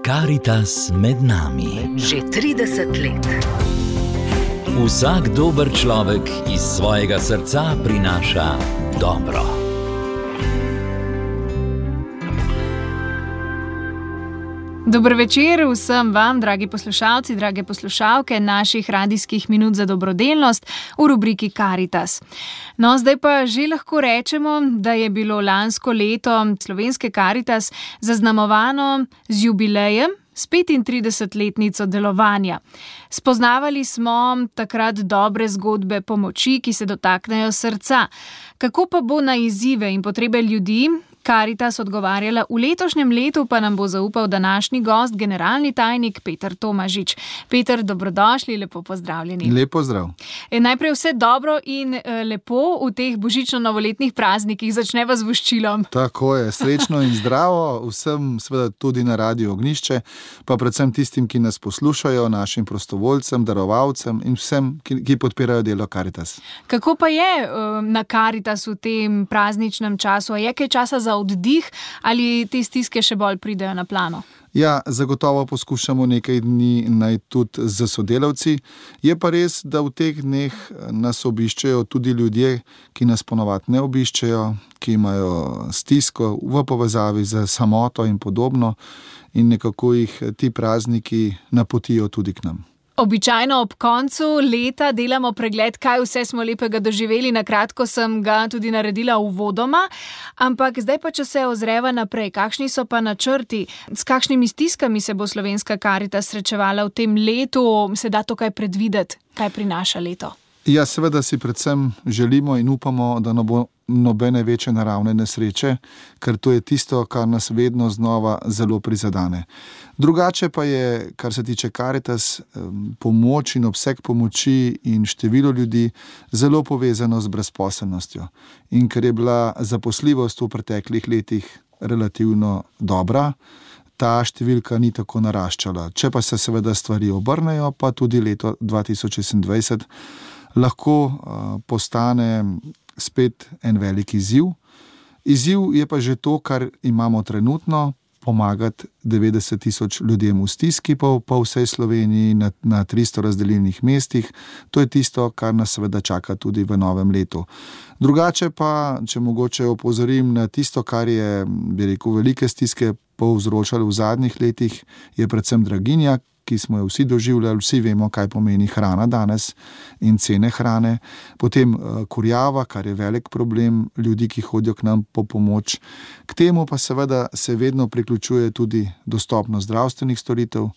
Karitas med nami. Že 30 let. Vsak dober človek iz svojega srca prinaša dobro. Dober večer vsem vam, dragi poslušalci, drage poslušalke naših radijskih minut za dobrodelnost v rubriki Karitas. No, zdaj pa že lahko rečemo, da je bilo lansko leto slovenske Karitas zaznamovano z jubilejem, s 35-letnico delovanja. Spoznavali smo takrat dobre zgodbe pomoči, ki se dotaknejo srca. Kako pa bo na izzive in potrebe ljudi Karitas odgovarjala v letošnjem letu, pa nam bo zaupal današnji gost, generalni tajnik Peter Tomažič. Peter, dobrodošli, lepo pozdravljeni. Lep pozdrav. Najprej vse dobro in lepo v teh božično-novoletnih praznikih. Začneva z voščilom. Tako je, srečno in zdravo vsem, seveda tudi na Radiu Ognjišče, pa predvsem tistim, ki nas poslušajo, našim prostovoljcem, darovalcem in vsem, ki podpirajo delo Karitas. Kako pa je na Karitas v tem prazničnem času? A je kaj časa za oddih ali te stiske še bolj pridejo na plano? Ja, zagotovo poskušamo nekaj dni naj tudi z sodelavci. Je pa res, da v teh dneh nas obiščejo tudi ljudje, ki nas ponavadi ne obiščejo, ki imajo stisko v povezavi z samoto in podobno in nekako jih ti prazniki napotijo tudi k nam. Običajno ob koncu leta delamo pregled, kaj vse smo lepega doživeli. Na kratko sem ga tudi naredila uvodoma, ampak zdaj pa, če se ozreva naprej, kakšni so pa načrti, s kakšnimi stiskami se bo slovenska Karitas srečevala v tem letu, se da to kaj predvideti, kaj prinaša leto? Ja, seveda si predvsem želimo in upamo, da ne bo nobene večje naravne nesreče, ker to je tisto, kar nas vedno znova zelo prizadene. Drugače pa je, kar se tiče Karitas, pomoč in obseg pomoči in število ljudi zelo povezano z brezposelnostjo. In ker je bila zaposljivost v preteklih letih relativno dobra, ta številka ni tako naraščala. Če pa se seveda stvari obrnejo, pa tudi leto 2026 lahko postane spet en velik izziv. Izziv je pa že to, kar imamo trenutno, pomagati 90 000 ljudem v stiski po vsej Sloveniji na 300 razdelilnih mestih. To je tisto, kar nas seveda čaka tudi v novem letu. Drugače pa, če mogoče opozorim na tisto, kar je, bi rekel, velike stiske povzročali v zadnjih letih, je predvsem draginja, ki smo jo vsi doživljali, vsi vemo, kaj pomeni hrana danes in cene hrane. Potem kurjava, kar je velik problem ljudi, ki hodijo k nam po pomoč. K temu pa seveda se vedno priključuje tudi dostopnost zdravstvenih storitev.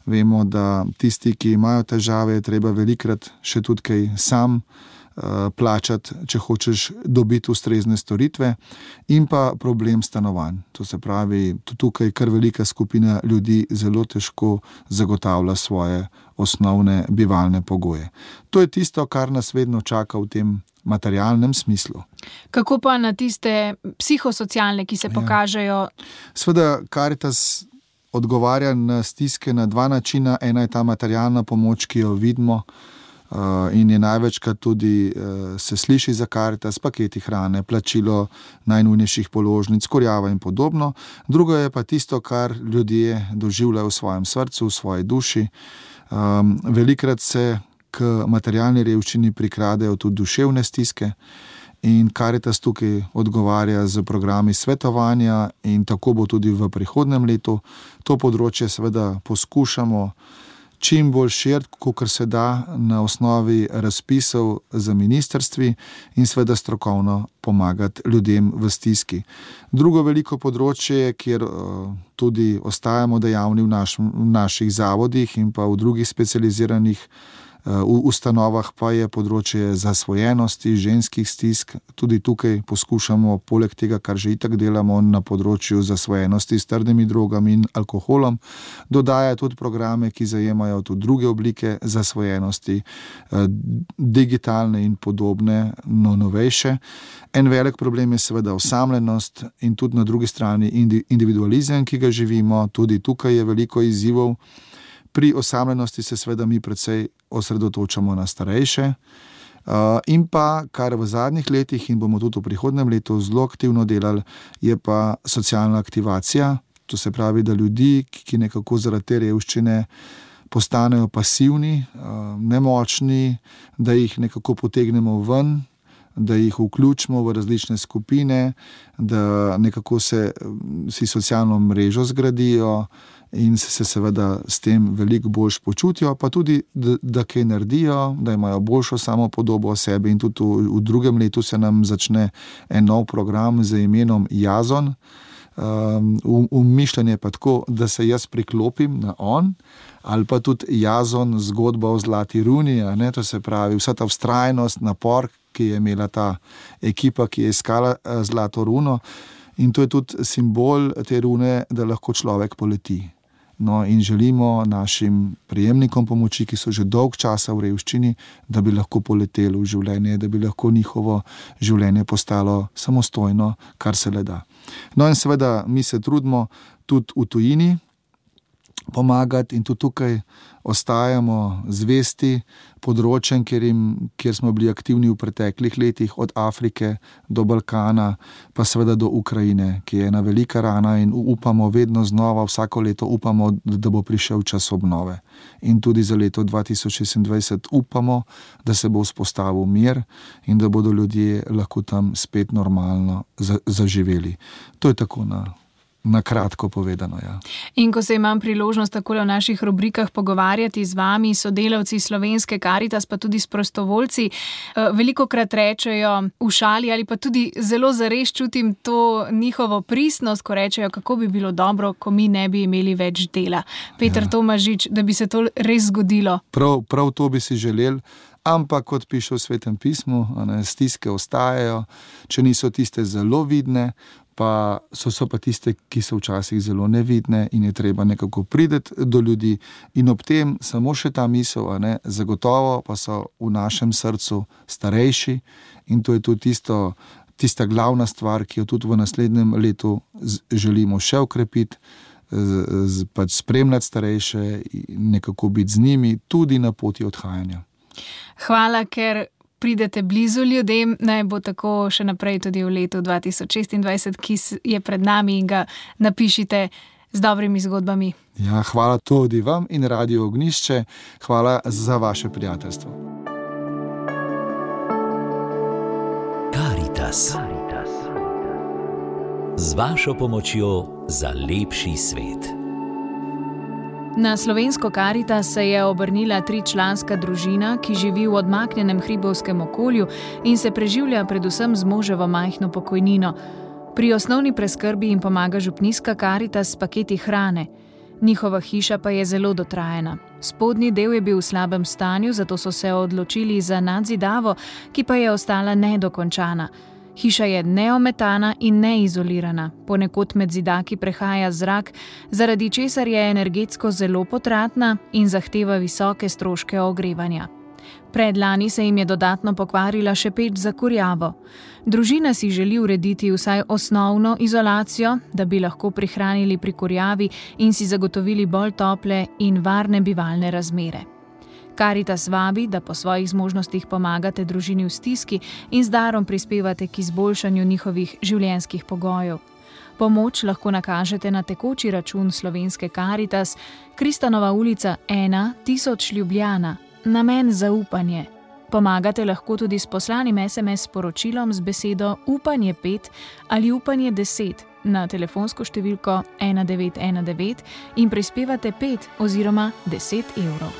Vemo, da tisti, ki imajo težave, je treba velikrat še tudi kaj sam plačati, če hočeš dobiti ustrezne storitve, in pa problem stanovanj. To se pravi, tukaj kar velika skupina ljudi zelo težko zagotavlja svoje osnovne bivalne pogoje. To je tisto, kar nas vedno čaka v tem materialnem smislu. Kako pa na tiste psihosocialne, ki se pokažejo? Seveda Karitas odgovarja na stiske na dva načina. Ena je ta materialna pomoč, ki jo vidimo, in je največkrat tudi se sliši za Karitas, paketi hrane, plačilo najnujnejših položnic, kurjava in podobno. Drugo je pa tisto, kar ljudje doživljajo v svojem srcu, v svoji duši. Velikrat se k materialni revščini prikradejo tudi duševne stiske in Karitas tukaj odgovarja z programi svetovanja in tako bo tudi v prihodnjem letu. To področje seveda poskušamo čim bolj širiti, kakor se da, na osnovi razpisov za ministrstvi in seveda strokovno pomagati ljudem v stiski. Drugo veliko področje, kjer tudi ostajamo dejavni v naših zavodih in pa v drugih specializiranih ustanovah, pa je področje zasvojenosti, ženskih stisk. Tudi tukaj poskušamo, poleg tega, kar že itak delamo na področju zasvojenosti s trdimi drogami in alkoholom, dodajati tudi programe, ki zajemajo tudi druge oblike zasvojenosti, digitalne in podobne, no novejše. En velik problem je seveda osamljenost in tudi na drugi strani individualizem, ki ga živimo. Tudi tukaj je veliko izzivov. Pri osamljenosti se seveda mi precej osredotočamo na starejše in pa, kar v zadnjih letih in bomo tudi v prihodnjem letu zelo aktivno delali, je pa socialna aktivacija To se pravi, da ljudi, ki nekako zaradi te revščine postanejo pasivni, nemočni, da jih nekako potegnemo ven, da jih vključimo v različne skupine, da nekako si socialno mrežo zgradijo in se seveda s tem veliko boljš počutijo, pa tudi, da kaj naredijo, da imajo boljšo samopodobo o sebi. In tudi v drugem letu se nam začne en nov program z imenom Jazon. Mišljenje pa tako, da se jaz priklopim na on, ali pa tudi Jazon, zgodba o zlati runi, to se pravi vsa ta vztrajnost, napor, ki je imela ta ekipa, ki je iskala zlato runo, in to je tudi simbol te rune, da lahko človek poleti. No, in želimo našim prejemnikom pomoči, ki so že dolg časa v revščini, da bi lahko poleteli v življenje, da bi lahko njihovo življenje postalo samostojno, kar se le da. No, in seveda mi se trudimo tudi v tujini pomagati in tudi tukaj ostajamo zvesti področjem, kjer smo bili aktivni v preteklih letih, od Afrike do Balkana, pa seveda do Ukrajine, ki je ena velika rana, in upamo vedno znova, vsako leto upamo, da bo prišel čas obnove. In tudi za leto 2026 upamo, da se bo vzpostavil mir in da bodo ljudje lahko tam spet normalno zaživeli. To je tako na kratko povedano, ja. In ko se imam priložnost takole v naših rubrikah pogovarjati z vami, sodelavci Slovenske Karitas, pa tudi s prostovoljci, velikokrat rečejo v šali ali pa tudi zelo zares čutim to njihovo pristnost, ko rečejo, kako bi bilo dobro, ko mi ne bi imeli več dela. Peter Tomažič, da bi se to res zgodilo. Prav to bi si želeli. Ampak, kot piše v Svetem pismu, stiske ostajajo, če niso tiste zelo vidne, pa so pa tiste, ki so včasih zelo nevidne, in je treba nekako priti do ljudi. In ob tem samo še ta misel, zagotovo pa so v našem srcu starejši, in to je tudi tista glavna stvar, ki jo tudi v naslednjem letu želimo še okrepiti, pač spremljati starejše in nekako biti z njimi tudi na poti odhajanja. Hvala, ker pridete blizu ljudem, naj bo tako še naprej tudi v letu 2026, ki je pred nami, in ga napišite z dobrimi zgodbami. Ja, hvala tudi vam in Radio Ognjišče, hvala za vaše prijateljstvo. Karitas. Z vašo pomočjo za lepši svet. Na Slovensko Karitas se je obrnila 3-članska družina, ki živi v odmaknjenem hribovskem okolju in se preživlja predvsem z moževo majhno pokojnino. Pri osnovni preskrbi jim pomaga župnijska Karitas s paketi hrane. Njihova hiša pa je zelo dotrajana. Spodnji del je bil v slabem stanju, zato so se odločili za nadzidavo, ki pa je ostala nedokončana. Hiša je neometana in neizolirana, ponekod med zidaki prehaja zrak, zaradi česar je energetsko zelo potratna in zahteva visoke stroške ogrevanja. Predlani se jim je dodatno pokvarila še peč za kurjavo. Družina si želi urediti vsaj osnovno izolacijo, da bi lahko prihranili pri kurjavi in si zagotovili bolj tople in varne bivalne razmere. Karitas vabi, da po svojih zmožnostih pomagate družini v stiski in z darom prispevate k izboljšanju njihovih življenjskih pogojev. Pomoč lahko nakažete na tekoči račun Slovenske Karitas, Kristanova ulica 1, 1000 Ljubljana, namen zaupanje. Pomagate lahko tudi s poslanim SMS sporočilom z besedo upanje 5 ali upanje 10 na telefonsko številko 1919 in prispevate 5 oziroma 10 evrov.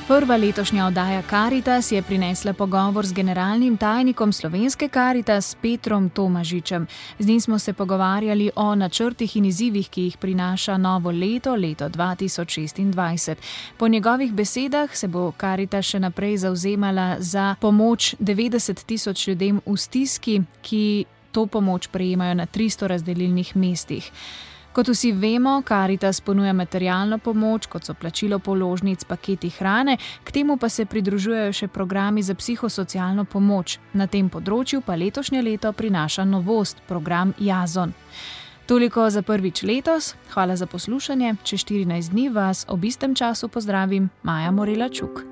Prva letošnja oddaja Karitas je prinesla pogovor z generalnim tajnikom Slovenske Karitas Petrom Tomažičem. Z njim smo se pogovarjali o načrtih in izzivih, ki jih prinaša novo leto 2026. Po njegovih besedah se bo Karitas še naprej zavzemala za pomoč 90 000 ljudem v stiski, ki to pomoč prejemajo na 300 razdelilnih mestih. Kot vsi vemo, Karitas ponuja materialno pomoč, kot so plačilo položnic, paketi hrane, k temu pa se pridružujejo še programi za psihosocialno pomoč. Na tem področju pa letošnje leto prinaša novost, program Jazon. Toliko za prvič letos, hvala za poslušanje, čez 14 dni vas ob istem času pozdravim, Maja Morela Čuk.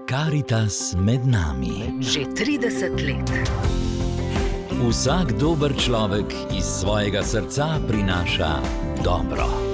Karitas med nami. Že 30 let. Vsak dober človek iz svojega srca prinaša dobro.